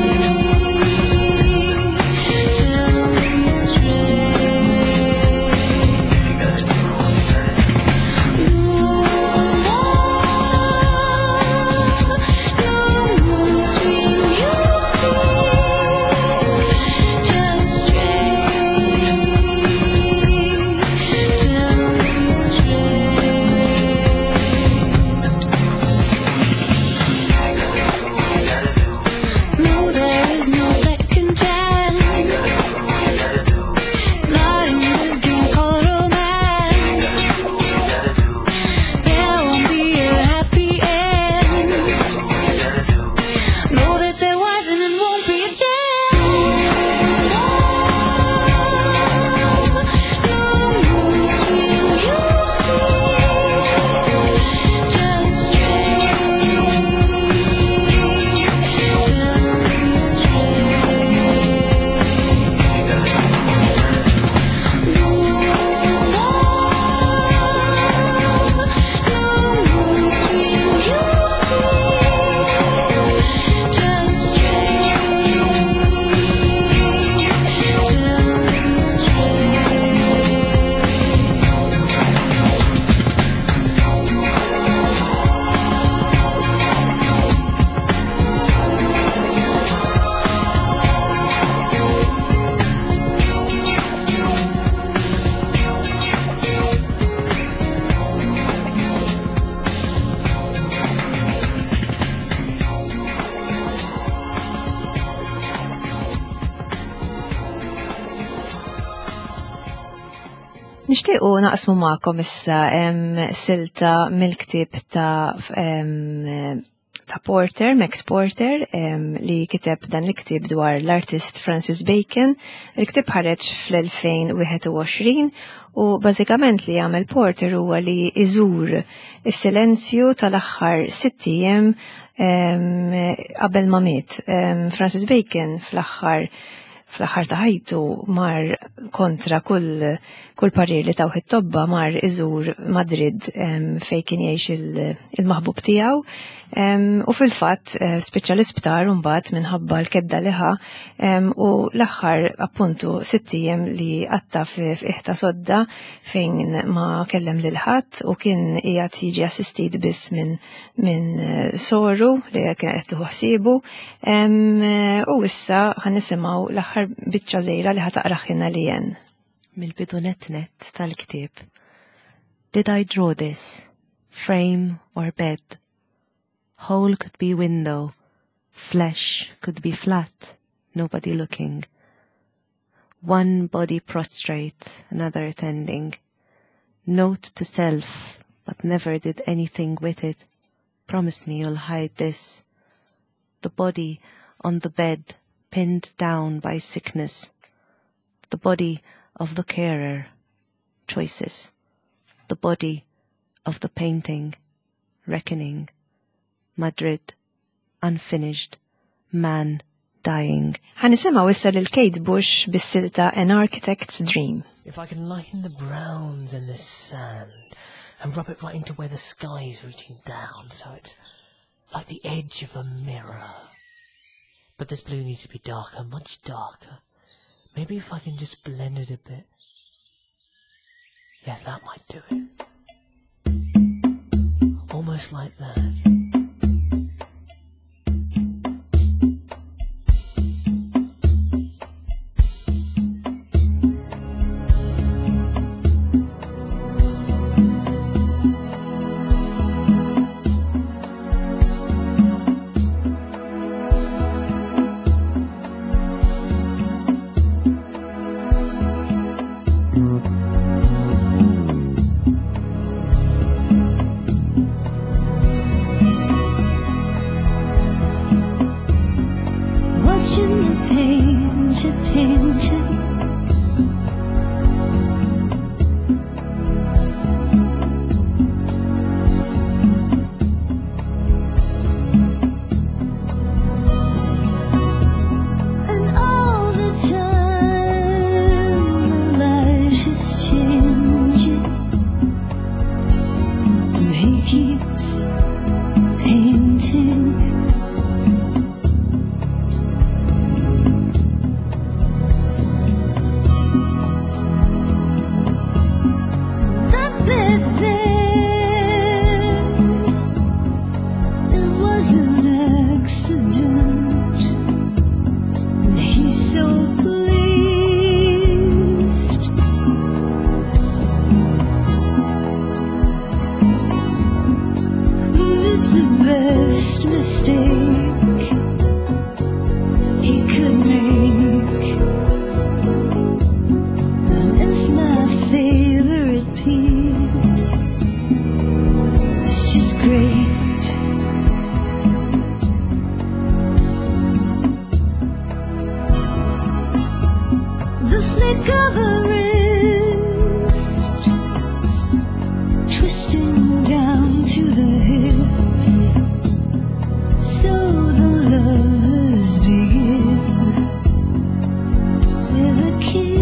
we stray. No more, no more sweet music. Just stray till we stray. No, there is no second chance. Not in this game called romance. There won't be a happy end. Know that there wasn't and won't be a chance. No more sweet music. Just stray till we stray. No more, no more sweet music. Just stray till we stray. Nixtiequ naqsmu magħkom issa silta mill-ktieb ta' ta' Porter, Max Porter, li kiteb dan il-ktieb dwar l-artist Francis Bacon. Il-ktieb ħareġ fl-2021 u bażikament li jagħmel Porter huwa li iżur is-silenzju tal-aħħar 6 ijiem qabel ma miet. Francis Bacon fl-aħħar fl-aħħar ta' ħajtu mar kontra kull kull parir li tawh it-tobba mar iżur Madrid fejn kien jgħix il-maħbub tiegħu. U fil-fatt spiċċa l-isptar mbagħad minħabba l-kedda li ħa u l-aħħar appuntu 6 ijiem li qatta f'iħta sodda fejn ma kellem lil ħadd u kien qiegħed jiġi assistit biss minn soru li kien qed tieħu ħsiebu. U issa ħa nisimgħu l-aħħar biċċa żgħira li ħa taqraħilna li jen. Mill-bidu net net tal-ktieb. Did I draw this? Frame or bed? Hole could be window. Flesh could be flat. Nobody looking. One body prostrate, another attending. Note to self, but never did anything with it. Promise me you'll hide this. The body on the bed, pinned down by sickness. The body of the carer, choices. The body of the painting, reckoning. Madrid, unfinished, man dying. Ħa nisimgħu issa lil Kate Bush bis-silta An Architect's Dream. If I can lighten the browns and the sand and rub it right into where the sky's reaching down, so it's like the edge of a mirror. But this blue needs to be darker, much darker. Maybe if I can just blend it a bit. Yeah, that might do it. Almost like that. Watching the painter painting. And all the time the light is changing, and he keeps painting. The bed there, it was an accident. And he's so pleased. It's the best mistake he could make. And it's my favorite piece. It's just great. The flick of a wrist, twisting down to the hips. So the lovers begin with a kiss.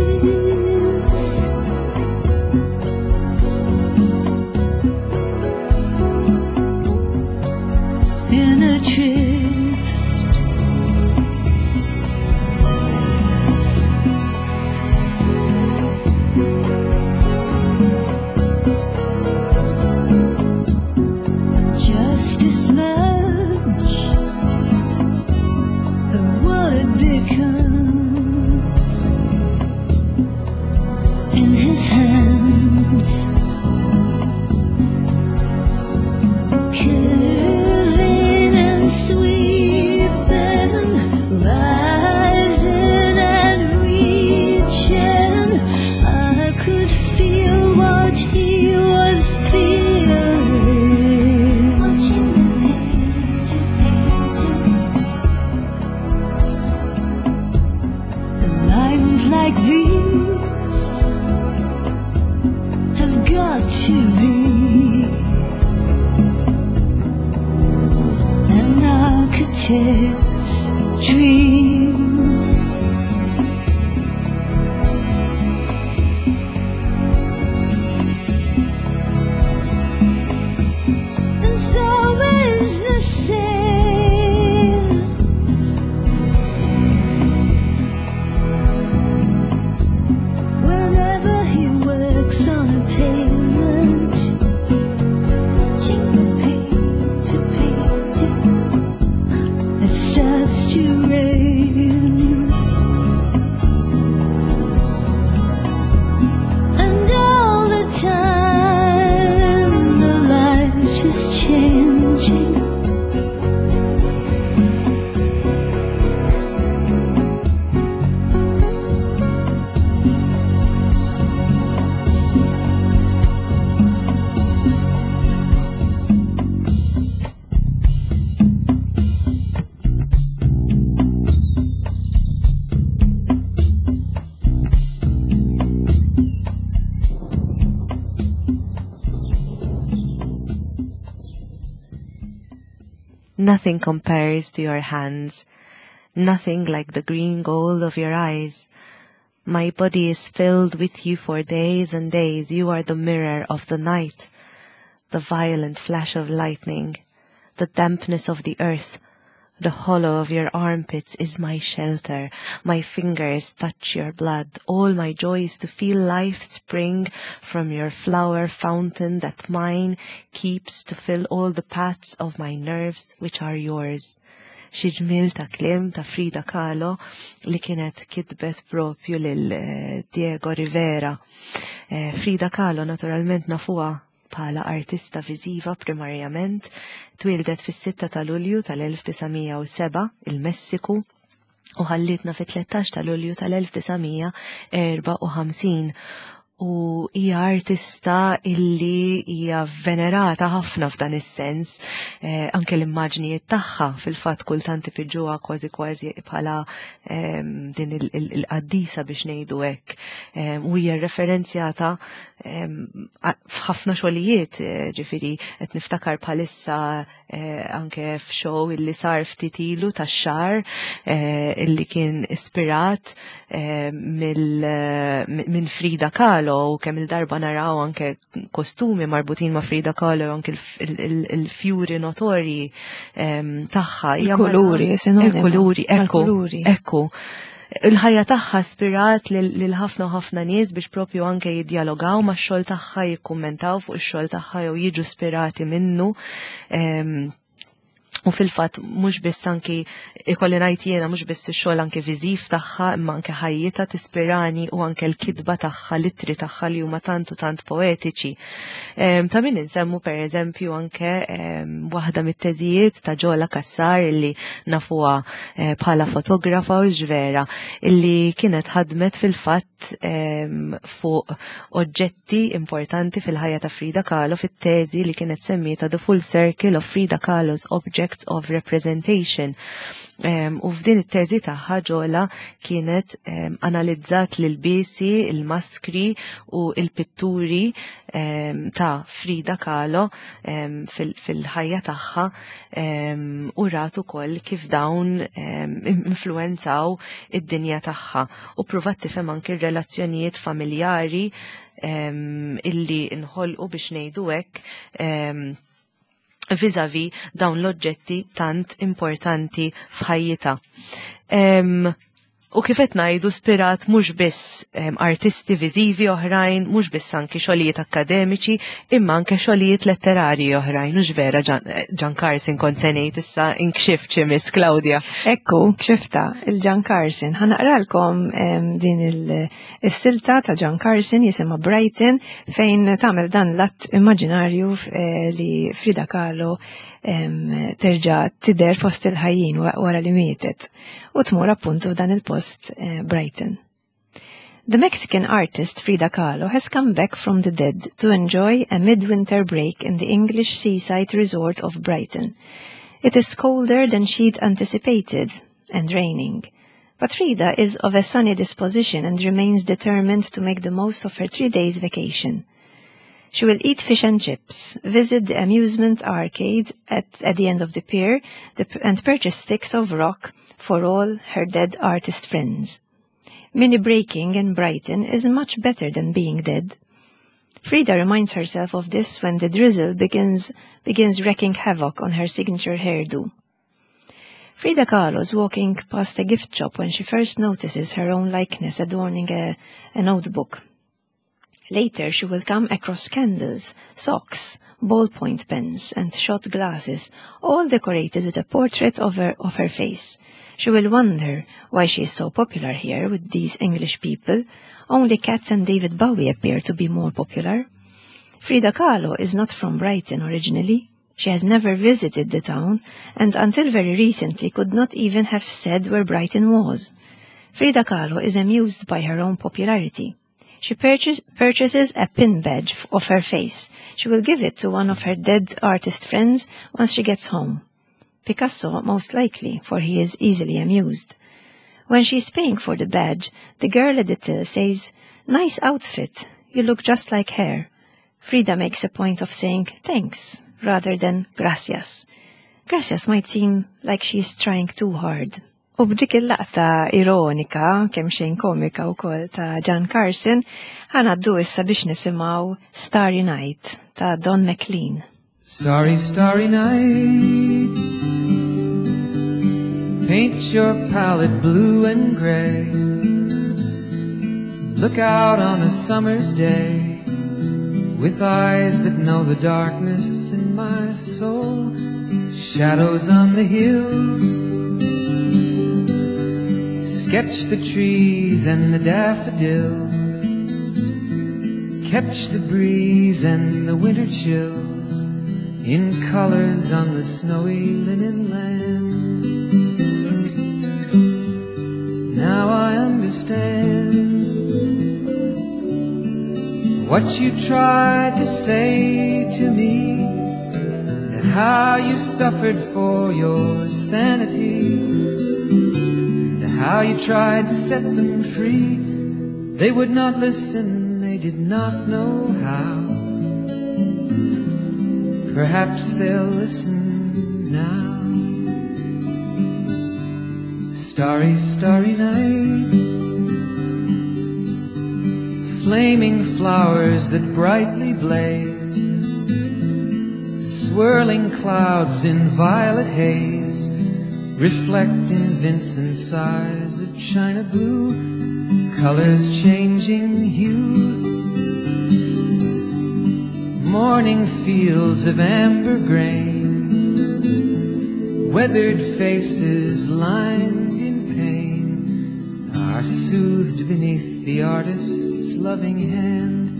In a tryst. Just a smudge of what it becomes in his hands, curving and sweeping, rising and reaching. I could feel what he was feeling. Watching the painter painting. The lines like these have got to be an architect's dream. And so is the same. Whenever he works on a pavement, watching the painter painting, it stops to rain. And all the time the light is changing. Nothing compares to your hands, nothing like the green gold of your eyes. My body is filled with you for days and days. You are the mirror of the night, the violent flash of lightning, the dampness of the earth. The hollow of your armpits is my shelter. My fingers touch your blood. All my joy is to feel life spring from your flower fountain that mine keeps to fill all the paths of my nerves which are yours. Xi ġmiel ta' kliem ta' Frida Kahlo li kienet kitbet propju lil Diego Rivera. Frida Kahlo naturalment nafuha bħala artista viżiva primarjament, twieldet fis-6 ta' Lulju tal-1907 il-Messiku u ħallitna fit-13 ta' Lulju tal-1954. U hija artista illi hija venerata ħafna f'dan is-sens, eh, anke l-immaġnijiet tagħha fil-fatt kultant ipiġuha kważi kważi bħala din il-qaddisa biex ngħidu hekk. U hija referenzjata f'ħafna xogħlijiet, eh, ġifieri qed niftakar bħalissa eh, anke f'show illi sar ftit ilu tax-xar eh, illi kien ispirat eh, minn Frida Kahlo u kemm il-darba naraw anke kostumi marbutin ma' Frida Kahlo anke il-fjuri notorji tagħha. Il-kuluri, il-kuluri, ekku, ekku il-ħajja tagħha spirat lil ħafna ħafna nies biex propju anke jiddjalogaw max-xogħol tagħha, jikkummentaw fuq ix-xogħol tagħha jew jiġu spirati minnu. U fil-fatt mhux biss anki ikolli ngħid jiena mhux biss ix-xogħol anke viżiv tagħha imma anke ħajjitha tispirani u anke l-kitba tagħha, l-ittri tagħha li huma tant u tant poetiċi. Ta' min insemmu pereżempju anke waħda mit-teżijiet ta' Ġola Kassar illi nafuha eh, bħala fotografa u ġvera illi kienet ħadmet fil-fatt fuq oġġetti importanti fil-ħajja ta' Frida Kahlo fit-teżi li kienet semmieta The Full Circle of Frida Kahlo's Objects of Representation. U f'din it-teżi tagħha Ġola kienet analizzat l-bisi, il-maskri u il-pitturi ta' Frida Kahlo fil-ħajja tagħha u rat ukoll kif dawn influenzaw id-dinja tagħha u pruvat tifhem anki r-relazzjonijiet familjari illi nħolqu biex ngħidu hekk vizavi dawn l-oġġetti tant importanti f'ħajjitha. U kif qed ngħidu spirat mhux biss artisti viżivi oħrajn, mhux biss anki xogħlijiet akkademiċi, imma anke xogħlijiet letterarji oħrajn, mhux vera Jan Carson kont se ngħid issa inkxift xi Miss Claudia. Ekku, kxifta, il-Jan Carson. Ħa naqralkom din il-silta ta' Jan Carson jisimha Brighton fejn tagħmel dan l-att immaġinarju eh, li Frida Kahlo terġa' tidher fost il-ħajjin wara li mietet u tmur appuntu f'dan il-post eh, Brighton. The Mexican artist Frida Kahlo has come back from the dead to enjoy a midwinter break in the English seaside resort of Brighton. It is colder than she'd anticipated and raining. But Frida is of a sunny disposition and remains determined to make the most of her three days vacation. She will eat fish and chips, visit the amusement arcade at, at the end of the pier, the, and purchase sticks of rock for all her dead artist friends. Mini breaking in Brighton is much better than being dead. Frida reminds herself of this when the drizzle begins, begins wreaking havoc on her signature hairdo. Frida Kahlo is walking past a gift shop when she first notices her own likeness adorning a, a notebook. Later, she will come across candles, socks, ballpoint pens, and shot glasses, all decorated with a portrait of her, of her face. She will wonder why she is so popular here with these English people. Only cats and David Bowie appear to be more popular. Frida Kahlo is not from Brighton originally. She has never visited the town and until very recently could not even have said where Brighton was. Frida Kahlo is amused by her own popularity. She purchase, purchases a pin badge of her face. She will give it to one of her dead artist friends once she gets home. Picasso, most likely, for he is easily amused. When she is paying for the badge, the girl at the till says, Nice outfit. You look just like her. Frida makes a point of saying thanks rather than gracias. Gracias might seem like she's trying too hard. U b'dik il-laqta ironika, kemm xejn komika wkoll ta' John Carson, ħa ngħaddu issa biex nisimgħu Starry Night ta' Don McLean. Starry, starry night. Paint your palette blue and gray. Look out on a summer's day with eyes that know the darkness in my soul. Shadows on the hills. Sketch the trees and the daffodils. Catch the breeze and the winter chills in colors on the snowy linen land. Now I understand What you tried to say to me, and how you suffered for your sanity, and how you tried to set them free. They would not listen, they did not know how. Perhaps they'll listen now. Starry, starry night. Flaming flowers that brightly blaze, swirling clouds in violet haze, reflect in Vincent's eyes of china blue, colors changing hue. Morning fields of amber grain, weathered faces lined in pain, are soothed beneath the artist's loving hand.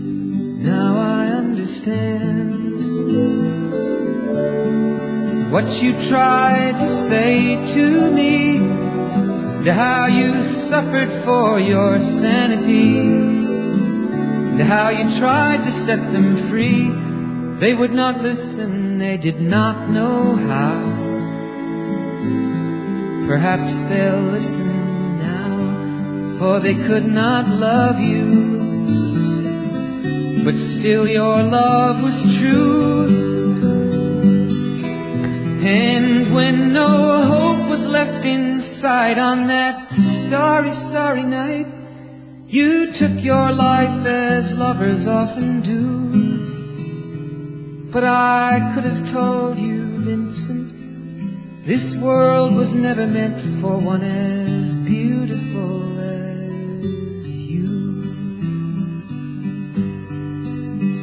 Now I understand what you tried to say to me, and how you suffered for your sanity, and how you tried to set them free. They would not listen, they did not know how. Perhaps they'll listen now, for they could not love you, but still your love was true. And when no hope was left inside on that starry, starry night, you took your life as lovers often do. But I could have told you, Vincent, this world was never meant for one as beautiful as you.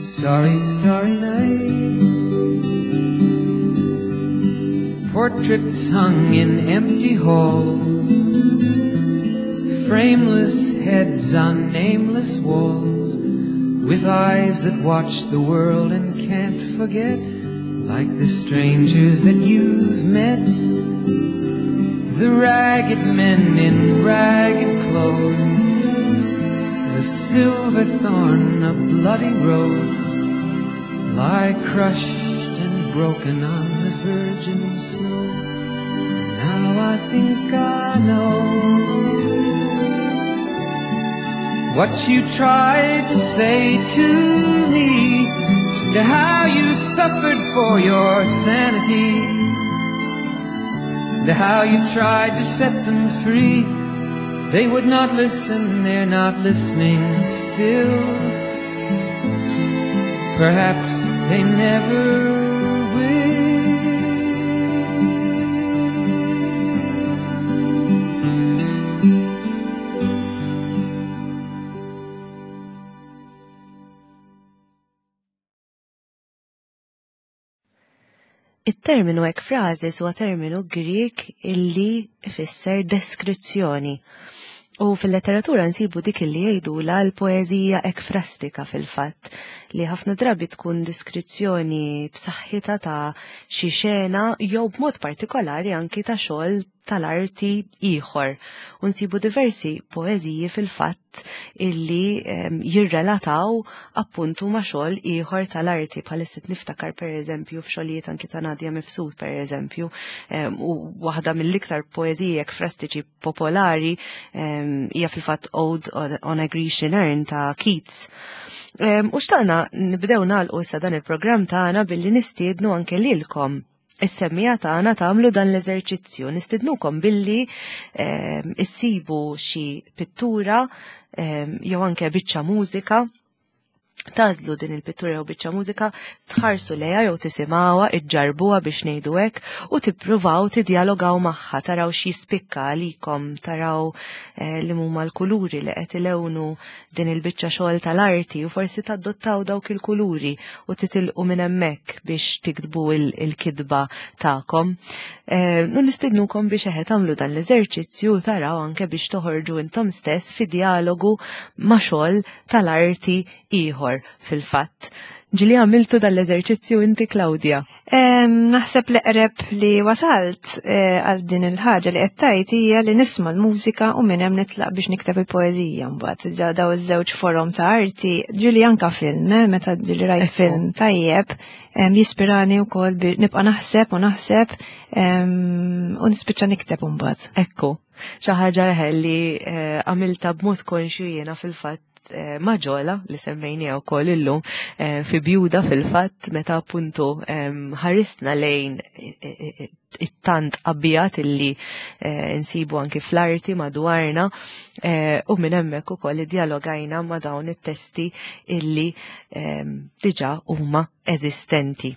Starry, starry night. Portraits hung in empty halls, frameless heads on nameless walls, with eyes that watch the world and can't forget, like the strangers that you've met. The ragged men in ragged clothes, a silver thorn, a bloody rose, lie crushed and broken on the virgin snow. And now I think I know what you tried to say to me, and how you suffered for your sanity, and how you tried to set them free. They would not listen, they're not listening still. Perhaps they never will. It-terminu ekfrażis huwa terminu Grieg illi ifisser deskrizzjoni. U fil-letteratura nsibu dik illi jgħidulha l-poeżija ekfrastika fil-fatt, li ħafna drabi tkun deskrizzjoni b'saħħitha ta' xi xena jew b'mod partikolari anki ta' xogħol tal-arti ieħor. U nsibu diversi poeżiji fil-fatt illi jirrelataw appuntu ma' xogħol ieħor tal-arti, bħalissa niftakar pereżempju f'xogħlijiet anki ta' Nadia Mifsud pereżempju, u waħda mill-iktar poeżiji ekfrastiċi popolari hija fil-fatt Ode on a Grecian Urn ta' Keats. U xtaqna nibdew nagħlqu issa dan il-programm tagħna billi nistiednu anke lilkom is-semmija tagħna tagħmlu dan l-eżerċizzju. Nistidnukom billi issibu xi pittura jew anke biċċa mużika, tażlu din il-pittura jew biċċa mużika, tħarsu lejha jew tisimgħuha, iġġarbuha biex ngħidu hekk, u tippruvaw tiddialogaw magħha, taraw x'jispikka għalikom, taraw li huma l-kuluri li qed ilewnu din il-biċċa xogħol tal-arti, u forsi tadottaw dawk il-kuluri u titilqu minn hemmhekk biex tiktbu il-kitba tagħkom. Nistidnukom biex eħe tagħmlu dan l-eżerċizzju taraw anke biex toħorġu intom stess fi dialogu ma' xogħol tal-arti ieħor fil-fatt. Ġili għamiltu dal-eżerċizzju inti Claudia? Naħseb l-eqreb li wasalt eh, għal din il-ħaġa li qed tgħid hija li nisma' l-mużika u minn hemm nitlaq biex nikteb il-poeżija mbagħad. Daw iż-żewġ forom ta' arti, ġili anka film, eh, meta ġili rajt film tajjeb, jispirani wkoll nibqa' naħseb u naħseb u nispiċċa nikteb imbagħad. Ekku, xi ħaġa li eh, għamilta b'mod konxju jiena fil-fatt Eh, maġola li semmejnija wkoll illum eh, fi bjuda fil-fatt meta appuntu ħarisna lejn eh, it-tant abjad illi nsibu anki fl-arti madwarna u minn hemmhekk ukoll iddialogajna ma' dawn it-testi illi diġà huma eżistenti.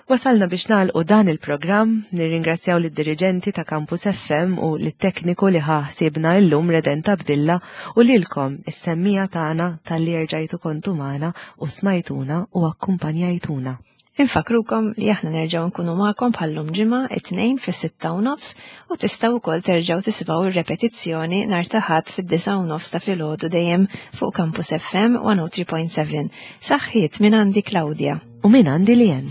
Wasalna biex nagħlqu dan il-programm, nirringrazzjaw lid-diriġenti ta' Campus FM u lit-tekniku li ħa ħsiebna illum Redent Abdilla u lilkom is-semmija tagħna talli erġajtu kontu magħna u smajtuna u akkumpanjajtuna. Infakkrukom li aħna nerġgħu nkunu magħkom bħal-lum ġimgħa it-Tnejn fis-6:30 u tistgħu wkoll terġgħu tisimgħu r-repetizzjoni nhar ta' Ħadd fid-9:30 ta' filgħodu dejjem fuq Campus FM 103.7. Saħħiet minn għandi Claudia. U minn għandi Lien.